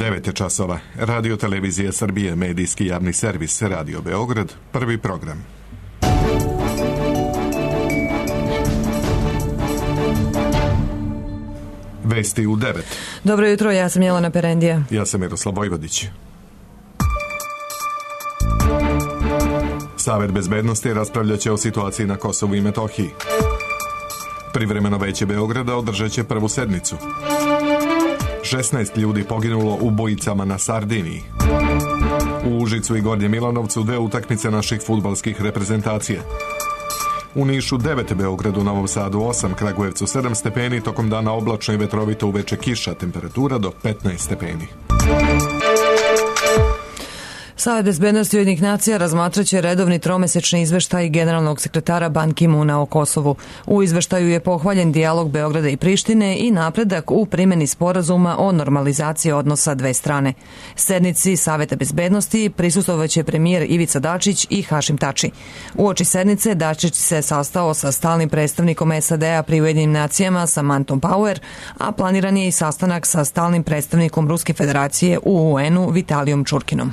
9 časova. Radio Televizija Srbije, medijski javni servis Radio Beograd, prvi program. Vesti u 9. Dobro jutro, ja sam Jelena Perendija. Ja sam Miroslav Vojvodić. Savet bezbednosti raspravljaće o situaciji na Kosovu i Metohiji. Privremeno veće Beograda održat će prvu sednicu. 16 ljudi poginulo u bojicama na Sardiniji. U Užicu i Gornjem Milanovcu 2 utakmice naših fudbalskih reprezentacija. U Nišu 9, Beogradu, Novom Sadu 8, Kragujevcu 7 stepeni, tokom dana oblačno i vetrovito, uveče kiša, temperatura do 15 stepeni. Savet bezbednosti Ujedinjenih nacija razmatraće redovni tromesečni izveštaj generalnog sekretara Ban Ki-moona o Kosovu. U izveštaju je pohvaljen dijalog Beograda i Prištine i napredak u primjeni sporazuma o normalizaciji odnosa dve strane. Sednici Saveta bezbednosti prisustvovaće premijer Ivica Dačić i Hašim Tači. Uoči sednice Dačić se sastao sa stalnim predstavnikom SAD-a pri Ujedinjenim nacijama Samanthom Power, a planiran je i sastanak sa stalnim predstavnikom Ruske federacije u UN-u Vitalijom Čurkinom.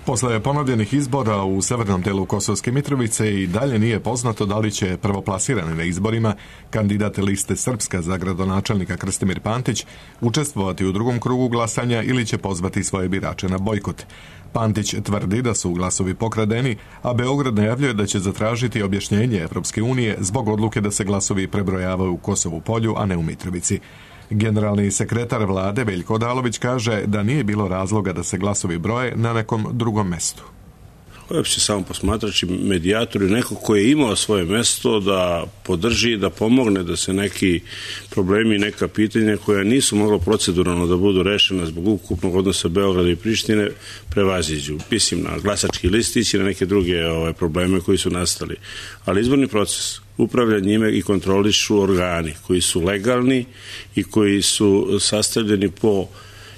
Posle ponovljenih izbora u severnom delu Kosovske Mitrovice i dalje nije poznato da li će prvoplasirani na izborima kandidat liste Srpska za gradonačelnika Krstimir Pantić učestvovati u drugom krugu glasanja ili će pozvati svoje birače na bojkot. Pantić tvrdi da su glasovi pokradeni, a Beograd najavljuje da će zatražiti objašnjenje Evropske unije zbog odluke da se glasovi prebrojavaju u Kosovu Polju, a ne u Mitrovici. Generalni sekretar vlade Veljko Odalović kaže da nije bilo razloga da se glasovi broje na nekom drugom mestu. Uopšte samo posmatrač i medijator i neko koji je imao svoje mesto da podrži, da pomogne da se neki problemi i neka pitanja koja nisu mogla proceduralno da budu rešena zbog ukupnog odnosa Beograda i Prištine prevaziđu. Mislim na glasački listić i na neke druge probleme koji su nastali. Ali izborni proces upravlja njime i kontrolišu organi koji su legalni i koji su sastavljeni po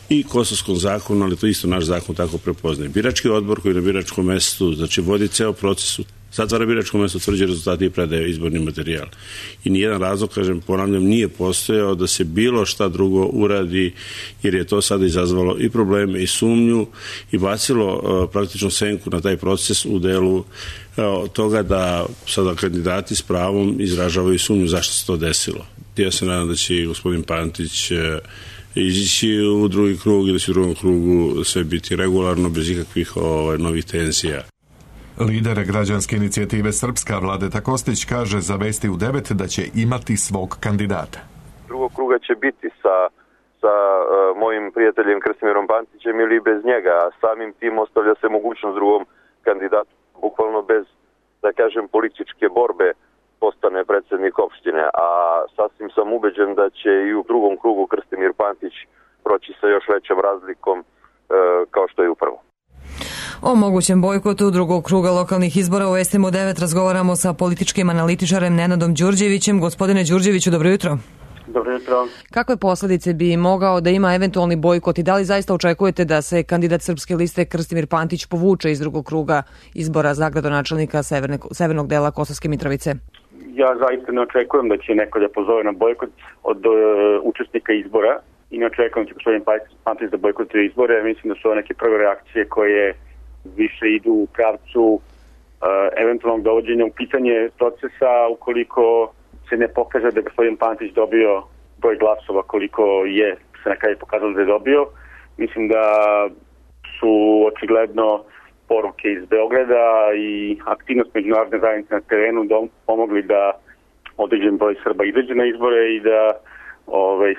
i kosovskom zakonu, ali to isto naš zakon tako prepoznaje. Birački odbor koji na biračkom mestu, znači vodi ceo proces, zatvara biračko mesto, utvrđuje rezultate i predaje izborni materijal. I nijedan razlog, ponavljam, nije postojao da se bilo šta drugo uradi, jer je to sada izazvalo i probleme i sumnju i bacilo praktično senku na taj proces u delu toga da sada kandidati s pravom izražavaju sumnju zašto se to desilo. Ja se nadam da će gospodin Pantić izići u drugi krug i da će u drugom krugu sve biti regularno, bez ikakvih novih tenzija. Lider građanske inicijative Srpska Vladeta Kostić kaže za Vesti u 9 da će imati svog kandidata. Drugog kruga će biti sa mojim prijateljem Krstimirom Pantićem ili bez njega, a samim tim ostavlja se mogućnost drugom kandidatu, bukvalno bez, da kažem, političke borbe postane predsjednik opštine, a sasvim sam ubeđen da će i u drugom krugu Krstimir Pantić proći sa još većom razlikom kao što je u prvom. O mogućem bojkotu drugog kruga lokalnih izbora u Vestima 9 razgovaramo sa političkim analitičarem Nenadom Đurđevićem. Gospodine Đurđeviću, dobro jutro. Dobro jutro. Kakve posljedice bi mogao da ima eventualni bojkot i da li zaista očekujete da se kandidat Srpske liste Krstimir Pantić povuče iz drugog kruga izbora za gradonačelnika severnog dela Kosovske Mitrovice? Ja zaista ne očekujem da će neko da pozove na bojkot od učesnika izbora i ne očekujem da će gospodin Pantić da bojkotuje izbore. Mislim da su ovo neke prve reakcije koje više idu u pravcu eventualnog dovođenja u pitanje procesa ukoliko se ne pokaže da je gospodin Pantić dobio broj glasova koliko je se na kraju pokazalo da je dobio. Mislim da su očigledno poruke iz Beograda i aktivnost međunarodne zajednice na terenu pomogli da određen broj Srba izađe na izbore i da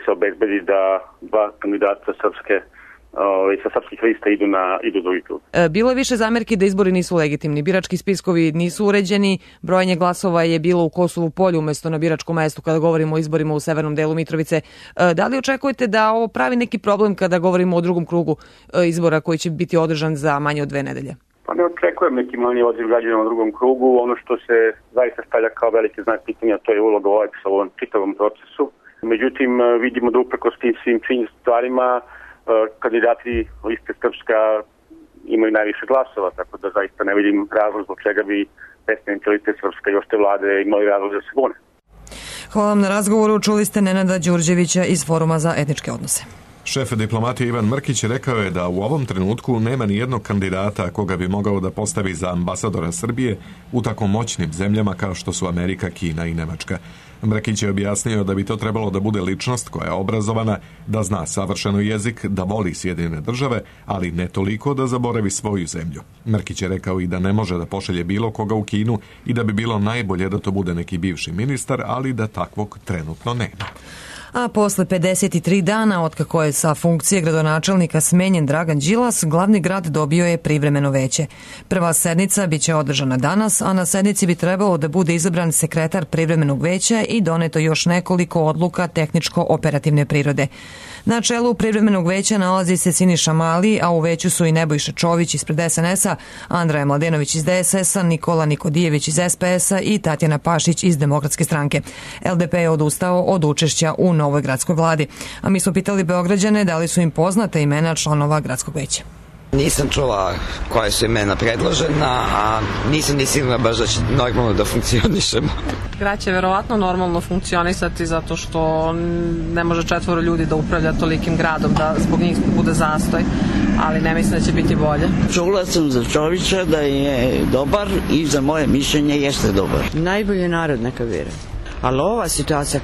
se obezbedi da dva kandidata sa srpskih lista idu drugi krug. Bilo je više zamerki da izbori nisu legitimni. Birački spiskovi nisu uređeni, brojanje glasova je bilo u Kosovu Polju umjesto na biračkom mestu kada govorimo o izborima u severnom delu Mitrovice. Da li očekujete da ovo pravi neki problem kada govorimo o drugom krugu izbora koji će biti održan za manje od 2 nedelje? Pa ne očekujem neki manji odziv građana u drugom krugu. Ono što se zaista stavlja kao veliki znak pitanja, to je uloga OEBS-a u ovom čitavom procesu. Međutim, vidimo da uprkos tim svim stvarima kandidati liste Srpska imaju najviše glasova, tako da zaista ne vidim razlog zbog čega bi predstavnici liste Srpska i ošte vlade imali razlog da se bune. Hvala vam na razgovoru. Čuli ste Nenada Đurđevića iz Foruma za etničke odnose. Šef diplomatije Ivan Mrkić rekao je da u ovom trenutku nema ni jednog kandidata koga bi mogao da postavi za ambasadora Srbije u tako moćnim zemljama kao što su Amerika, Kina i Nemačka. Mrkić je objasnio da bi to trebalo da bude ličnost koja je obrazovana, da zna savršeno jezik, da voli Sjedinjene države, ali ne toliko da zaboravi svoju zemlju. Mrkić je rekao i da ne može da pošalje bilo koga u Kinu i da bi bilo najbolje da to bude neki bivši ministar, ali da takvog trenutno nema. A posle 53 dana otkako je sa funkcije gradonačelnika smenjen Dragan Đilas, glavni grad dobio je privremeno veće. Prva sednica biće održana danas, a na sednici bi trebalo da bude izabran sekretar privremenog veća i doneto još nekoliko odluka tehničko-operativne prirode. Na čelu privremenog veća nalazi se Siniša Mali, a u veću su i Nebojša Čović ispred SNS-a, Andreja Mladenović iz DSS-a, Nikola Nikodijević iz SPS-a i Tatjana Pašić iz Demokratske stranke. LDP je odustao od učešća u novoj gradskoj vladi. A mi smo pitali Beograđane da li su im poznate imena članova gradskog veća. Nisam čula koje su imena predložena, a nisam ni sigurna baš da će normalno da funkcionišemo. Grad će verovatno normalno funkcionisati zato što ne može 4 ljudi da upravlja tolikim gradom da zbog njih bude zastoj, ali ne mislim da će biti bolje. Čula sam za Čovića da je dobar i za moje mišljenje jeste dobar. Najbolji narod neka vire. Ali ova situacija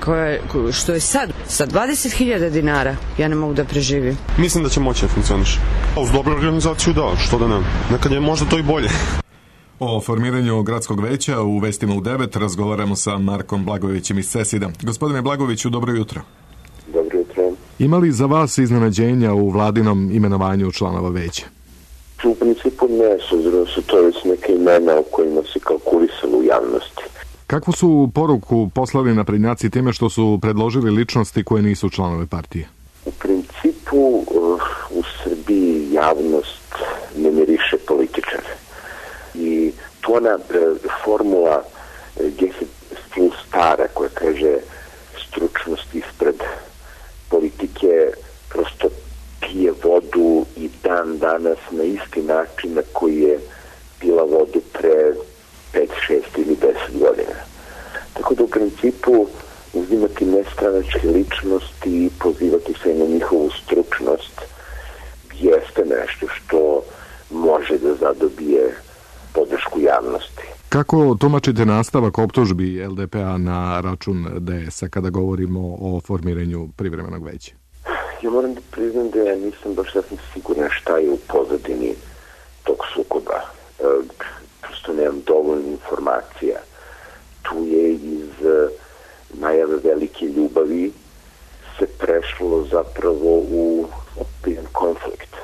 što je sad, sa 20.000 dinara, ja ne mogu da preživim. Mislim da će moći da funkcioniš. Uz dobru organizaciju da, što da ne. Nekad je možda to i bolje. O formiranju gradskog veća u Vestima u 9 razgovaramo sa Markom Blagojevićem iz CESID-a. Gospodine Blagojeviću, dobro jutro. Dobro jutro. Ima li za vas iznenađenja u vladinom imenovanju članova veća? U principu ne, s obzirom su to već neke imena o kojima se kalkulisalo u javnosti. Kakvu su poruku poslali naprednjaci time što su predložili ličnosti koje nisu članove partije? U principu u Srbiji javnost ne miriše političare. I to ona formula plus stara koja kaže stručnost ispred politike prosto pije vodu i dan danas na isti način na koji je pila vodu pre 5, 6 ili 10 godina. Tako da u principu uzimati nestranačke ličnosti i pozivati se na njihovu stručnost jeste nešto što može da zadobije podršku javnosti. Kako tumačite nastavak optužbi LDP-a na račun DS-a kada govorimo o formiranju privremenog veća? Ja moram da priznam da ja nisam baš sasvim siguran šta je u pozadini tog sukoba. Prosto nemam dovoljno informacija. Tu je iz najave velike ljubavi se prešlo zapravo u ozbiljan konflikt.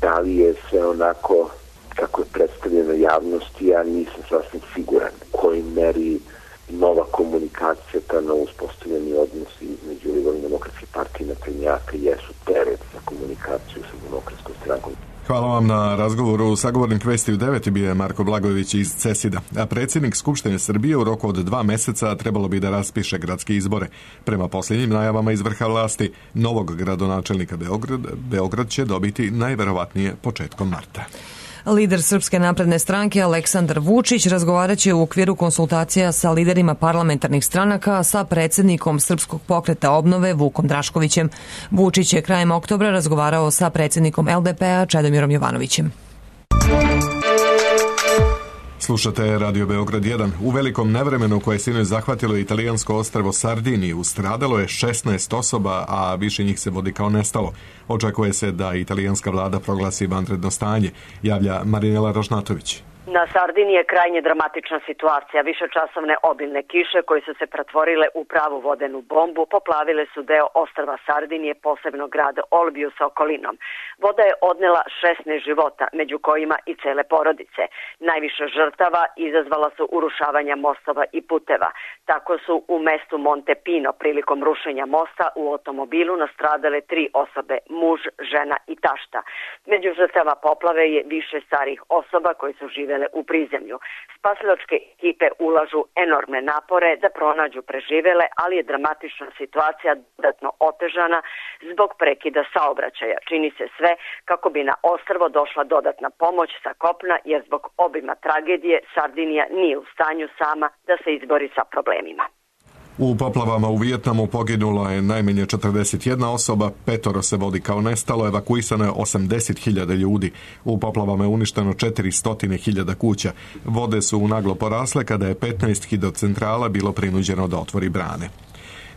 Da li je sve onako kako je predstavljeno javnosti, ja nisam sasvim siguran u kojoj meri nova komunikacija, ta na uspostavljeni odnosi između Liberalne demokratske partije i naprednjaka jesu teret za komunikaciju sa Demokratskom strankom. Hvala vam na razgovoru. Sagovornik Vesti u 9 bio je Marko Blagojević iz CESID-a. A predsjednik Skupštine Srbije u roku od 2 meseca trebalo bi da raspiše gradske izbore. Prema posljednjim najavama iz vrha vlasti, novog gradonačelnika Beograd će dobiti najverovatnije početkom marta. Lider Srpske napredne stranke Aleksandar Vučić razgovaraće u okviru konsultacija sa liderima parlamentarnih stranaka sa predsjednikom Srpskog pokreta obnove Vukom Draškovićem. Vučić je krajem oktobra razgovarao sa predsjednikom LDP-a Čedomirom Jovanovićem. Slušate Radio Beograd 1. U velikom nevremenu koje je sinoć zahvatilo italijansko ostrvo Sardiniju stradalo je 16 osoba, a više njih se vodi kao nestalo. Očekuje se da italijanska vlada proglasi vanredno stanje, javlja Marinela Rožnatović. Na Sardiniji je krajnje dramatična situacija. Višečasovne obilne kiše koje su se pretvorile u pravu vodenu bombu poplavile su deo ostrva Sardinije, posebno grad Olbiju sa okolinom. Voda je odnela 16 života, među kojima i cele porodice. Najviše žrtava izazvala su urušavanja mostova i puteva. Tako su u mestu Montepino prilikom rušenja mosta u automobilu nastradale 3 osobe, muž, žena i tašta. Među žrtava poplave je više starih osoba koji su živele u prizemlju. Spasilačke ekipe ulažu enormne napore da pronađu preživele, ali je dramatična situacija dodatno otežana zbog prekida saobraćaja. Čini se sve kako bi na ostrvo došla dodatna pomoć sa kopna, jer zbog obima tragedije Sardinija nije u stanju sama da se izbori sa problemima. U poplavama u Vijetnamu poginulo je najmanje 41 osoba, 5 se vodi kao nestalo, evakuisano je 80.000 ljudi. U poplavama je uništeno 400.000 kuća. Vode su naglo porasle kada je 15 hidrocentrala bilo prinuđeno da otvori brane.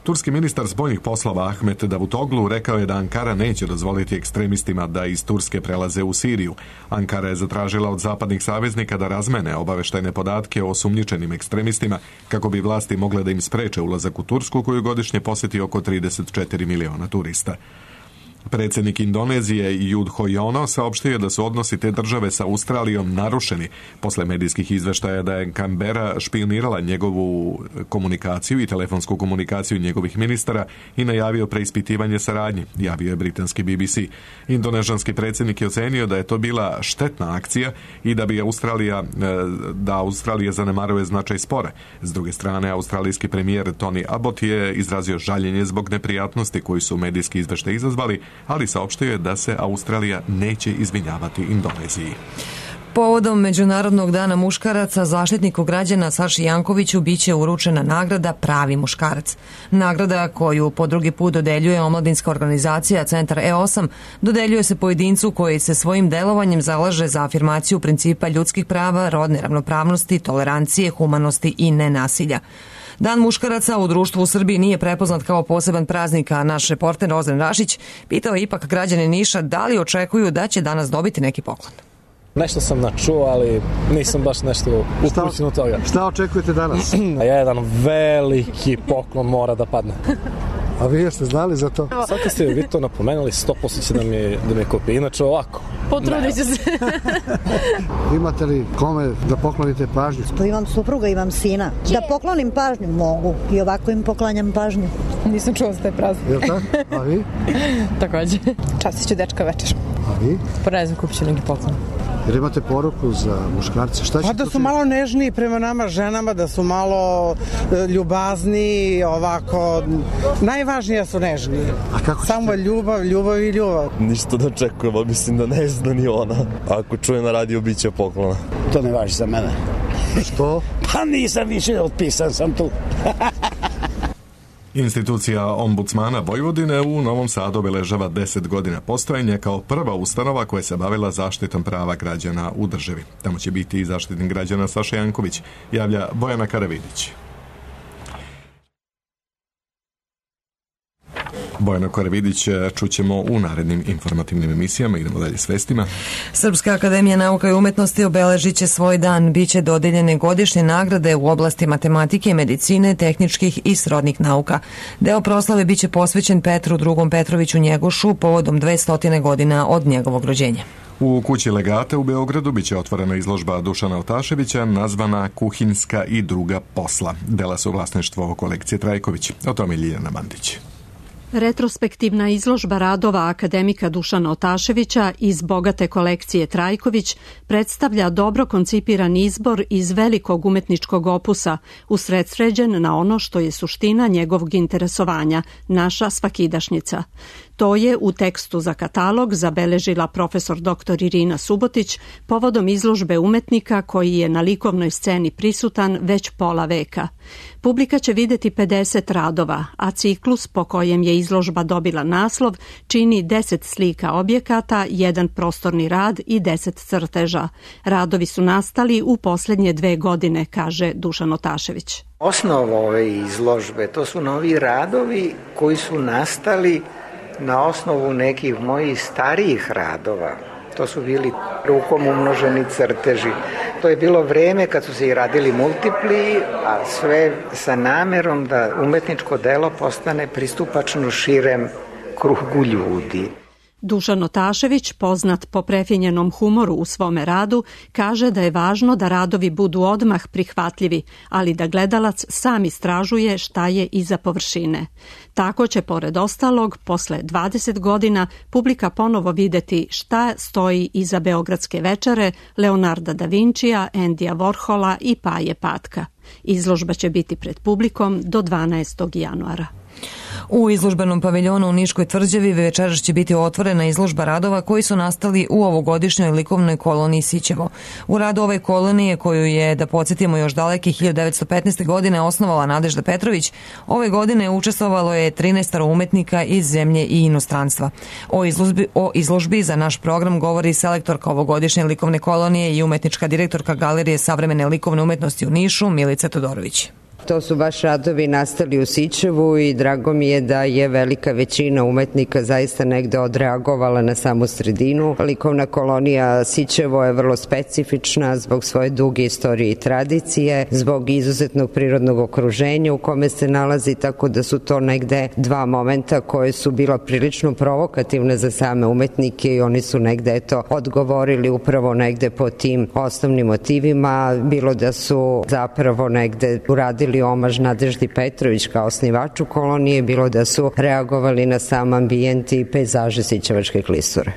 Turski ministar spoljnih poslova Ahmet Davutoglu rekao je da Ankara neće dozvoliti ekstremistima da iz Turske prelaze u Siriju. Ankara je zatražila od zapadnih saveznika da razmene obaveštajne podatke o osumnjičenim ekstremistima kako bi vlasti mogle da im spreče ulazak u Tursku koju godišnje posjeti oko 34 miliona turista. Predsjednik Indonezije Yudho Yono saopštio da su odnosi te države sa Australijom narušeni posle medijskih izveštaja da je Canberra špionirala njegovu komunikaciju i telefonsku komunikaciju njegovih ministara i najavio preispitivanje saradnje, javio je britanski BBC. Indonežanski predsjednik je ocenio da je to bila štetna akcija i da bi Australija zanemaruje značaj spora. S druge strane, australijski premijer Tony Abbott je izrazio žaljenje zbog neprijatnosti koji su medijski izveštaji izazvali, ali saopštio je da se Australija neće izvinjavati Indoneziji. Povodom Međunarodnog dana muškaraca, zaštitniku građana Saši Jankoviću biće uručena nagrada Pravi muškarac. Nagrada koju po drugi put dodeljuje omladinska organizacija Centar E8 dodeljuje se pojedincu koji se svojim delovanjem zalaže za afirmaciju principa ljudskih prava, rodne ravnopravnosti, tolerancije, humanosti i nenasilja. Dan muškaraca u društvu u Srbiji nije prepoznat kao poseban praznik, a naš reporter Ozren Rašić pitao je ipak građane Niša da li očekuju da će danas dobiti neki poklon. Nešto sam načuo, ali nisam baš nešto upućen od toga. Šta očekujete danas? Jedan veliki poklon mora da padne. A vi jeste znali za to? Sad kad ste vi to napomenuli, 100% će da me kopije. Inače ovako. Potrudit ću se. Imate li kome da poklonite pažnju? Pa imam supruga, imam sina. Da poklonim pažnju mogu. I ovako im poklanjam pažnju. Nisam čuo za taj praznik. Jel tako? A vi? Takođe. Častit ću dečka večer. A vi? Pa ne znam, kupit ću neki poklon. Jer imate poruku za muškarce? Šta će pa da su malo nežniji prema nama ženama, da su malo ljubazni, ovako. Najvažnije su nežniji. A kako samo ljubav, ljubav i ljubav. Ništa da očekujemo, mislim da ne zna ni ona. Ako čuje na radio, bit će poklona. To ne važi za mene. Što? Pa nisam više, otpisan sam tu. Institucija ombudsmana Vojvodine u Novom Sadu obeležava 10 godina postojanja kao prva ustanova koja se bavila zaštitom prava građana u državi. Tamo će biti i zaštitnik građana Saša Janković, javlja Bojana Karavidić. Bojana Korevidić čućemo u narednim informativnim emisijama. Idemo dalje s vestima. Srpska akademija nauka i umetnosti obeležit će svoj dan. Biće dodeljene godišnje nagrade u oblasti matematike, medicine, tehničkih i srodnih nauka. Deo proslave biće posvećen Petru II. Petroviću Njegošu povodom 200 godina od njegovog rođenja. U kući Legate u Beogradu biće otvorena izložba Dušana Otaševića nazvana Kuhinjska i druga posla. Dela su vlasništvo kolekcije Trajković. O tome Ljiljana Mandić. Retrospektivna izložba radova akademika Dušana Otaševića iz bogate kolekcije Trajković predstavlja dobro koncipiran izbor iz velikog umetničkog opusa, usredsređen na ono što je suština njegovog interesovanja, naša svakidašnjica. To je u tekstu za katalog zabeležila profesor dr. Irina Subotić povodom izložbe umetnika koji je na likovnoj sceni prisutan već pola veka. Publika će videti 50 radova, a ciklus po kojem je izložba dobila naslov čini 10 slika objekata, 1 prostorni rad i 10 crteža. Radovi su nastali u posljednje 2 godine, kaže Dušan Otašević. Osnova ove izložbe to su novi radovi koji su nastali na osnovu nekih mojih starijih radova. To su bili rukom umnoženi crteži. To je bilo vreme kad su se i radili multipli, a sve sa namerom da umetničko delo postane pristupačno širem krugu ljudi. Dušan Otašević, poznat po prefinjenom humoru u svome radu, kaže da je važno da radovi budu odmah prihvatljivi, ali da gledalac sam istražuje šta je iza površine. Tako će, pored ostalog, posle 20 godina publika ponovo videti šta stoji iza Beogradske večere, Leonarda da Vincija, Endija Warhola i Paje Patka. Izložba će biti pred publikom do 12. januara. U izložbenom paviljonu u Niškoj tvrđavi večeras će biti otvorena izložba radova koji su nastali u ovogodišnjoj likovnoj koloniji Sićevo. U radu ove kolonije, koju je, da podsjetimo, još daleke 1915. godine osnovala Nadežda Petrović, ove godine učestvovalo je 13 umetnika iz zemlje i inostranstva. O izložbi za naš program govori selektorka ovogodišnje likovne kolonije i umetnička direktorka Galerije savremene likovne umetnosti u Nišu, Milica Todorović. To su baš radovi nastali u Sićevu i drago mi je da je velika većina umetnika zaista negde odreagovala na samu sredinu. Likovna kolonija Sićevo je vrlo specifična zbog svoje duge istorije i tradicije, zbog izuzetnog prirodnog okruženja u kome se nalazi, tako da su to negde dva momenta koje su bila prilično provokativne za same umetnike i oni su negde odgovorili upravo negde po tim osnovnim motivima, bilo da su zapravo negde uradili omaž Nadeždi Petrović kao osnivaču kolonije, bilo da su reagovali na sam ambijent i pejzaže Sićevačke klisure.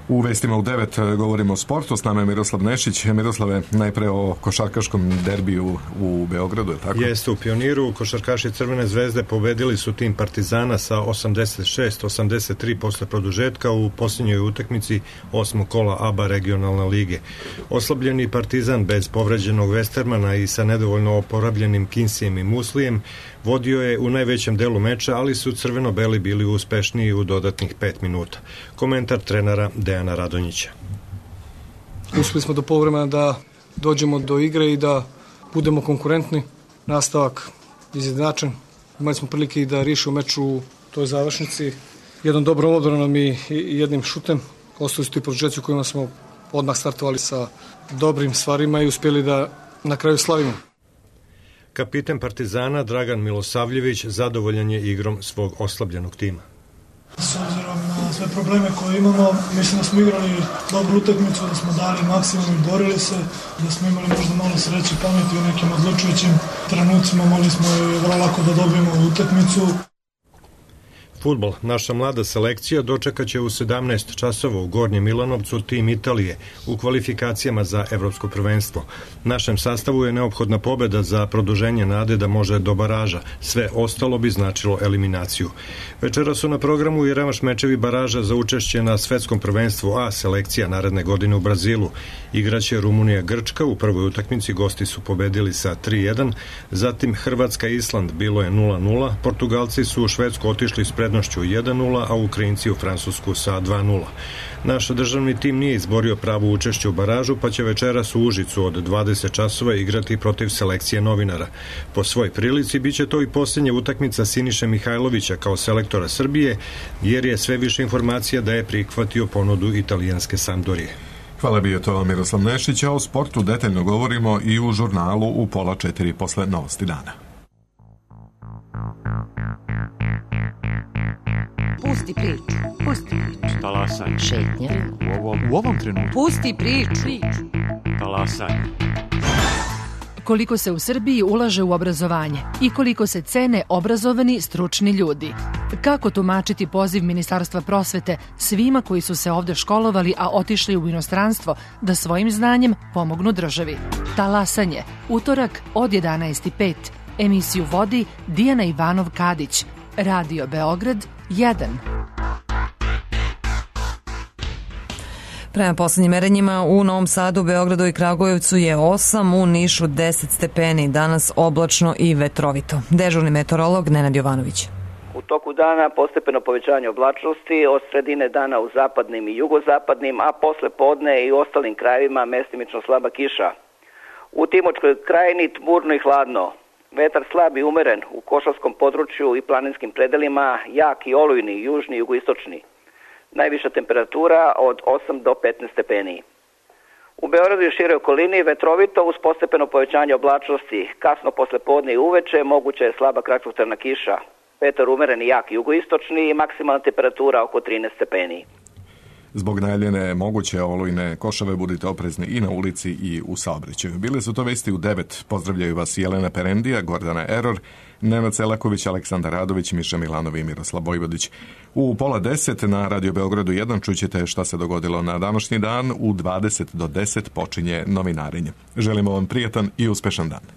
U vestima u 9 govorimo o sportu, s nama je Miroslav Nešić. Miroslave, najpre o košarkaškom derbiju u Beogradu, je tako? Jeste, u Pioniru košarkaši Crvene zvezde pobedili su tim Partizana sa 86-83 posle produžetka u posljednjoj utakmici 8. kola ABA regionalne lige. Oslabljeni Partizan bez povređenog Westermana i sa nedovoljno oporabljenim Kinsijem i Muslijem vodio je u najvećem delu meča, ali su crveno-beli bili uspešniji u dodatnih 5 minuta. Komentar trenera Dejana Radonjića. Uspeli smo do poluvremena da dođemo do igre i da budemo konkurentni. Nastavak izjednačen. Imali smo prilike i da riješimo meč u toj završnici. Jednom dobrom odbranom i jednim šutem. Ostali su ti produžeci u kojima smo odmah startovali sa dobrim stvarima i uspjeli da na kraju slavimo. Kapiten Partizana Dragan Milosavljević zadovoljan je igrom svog oslabljenog tima. S obzirom na sve probleme koje imamo, mislim da smo igrali dobru utakmicu, da smo dali maksimum i borili se, da smo imali možda malo sreće i pameti u nekim odlučujućim trenucima, mogli smo vrlo lako da dobijemo utakmicu. Fudbal. Naša mlada selekcija dočekaće u 17 časova u Gornjem Milanovcu tim Italije u kvalifikacijama za evropsko prvenstvo. Našem sastavu je neophodna pobeda za produženje nade da može do baraža. Sve ostalo bi značilo eliminaciju. Večera su na programu i revanš mečevi baraža za učešće na svetskom prvenstvu A selekcija naredne godine u Brazilu. Igraće Rumunija-Grčka, u prvoj utakmici gosti su pobedili sa 3-1, zatim Hrvatska-Island bilo je 0-0, Portugalci su u Švedsku otišli s prednošću 1-0, a Ukrajinci u Francusku sa 2-0. Naš državni tim nije izborio pravo učešće u baražu, pa će večeras u Užicu od 20 časova igrati protiv selekcije novinara. Po svoj prilici biće to i posljednja utakmica Siniše Mihajlovića kao selektora Srbije, jer je sve više informacija da je prihvatio ponudu italijanske Sampdorije. Hvala, bio to Miroslav Nešić, a o sportu detaljno govorimo i u žurnalu u 3:30 posle novosti dana. Pusti priču. Pusti priču. Talasaj. Šetnja. U ovom trenutku. Pusti priču. Talasaj. Koliko se u Srbiji ulaže u obrazovanje i koliko se cene obrazovani stručni ljudi. Kako tumačiti poziv Ministarstva prosvete svima koji su se ovde školovali, a otišli u inostranstvo da svojim znanjem pomognu državi? Talasanje. Utorak od 11:05. Emisiju vodi Dijana Ivanov-Kadić. Radio Beograd 1. Prema poslednjim merenjima u Novom Sadu, Beogradu i Kragujevcu je 8, u Nišu 10 stepeni, danas oblačno i vetrovito. Dežurni meteorolog Nenad Jovanović. U toku dana postepeno povećanje oblačnosti, od sredine dana u zapadnim i jugozapadnim, a posle podne i u ostalim krajevima mestimično slaba kiša. U Timočkoj krajini tmurno i hladno. Vetar slab i umeren u Košavskom području i planinskim predelima, jak i olujni, južni i jugoistočni. Najviša temperatura od 8 do 15 stepeni. U Beogradu i široj okolini vetrovito uz postepeno povećanje oblačnosti. Kasno posle podne i uveče moguća je slaba kratkotrajna kiša. Vetar umeren i jak jugoistočni i maksimalna temperatura oko 13 stepeni. Zbog najavljene moguće olujne košave budite oprezni i na ulici i u saobraćaju. Bile su to vesti u 9. Pozdravljaju vas Jelena Perendija, Gordana Eror, Nenad Selaković, Aleksandar Radović, Miša Milanov i Miroslav Vojvodić. U 9:30 na Radio Beogradu 1 čućete šta se dogodilo na današnji dan. U 20 do 10 počinje novinarenje. Želimo vam prijatan i uspešan dan.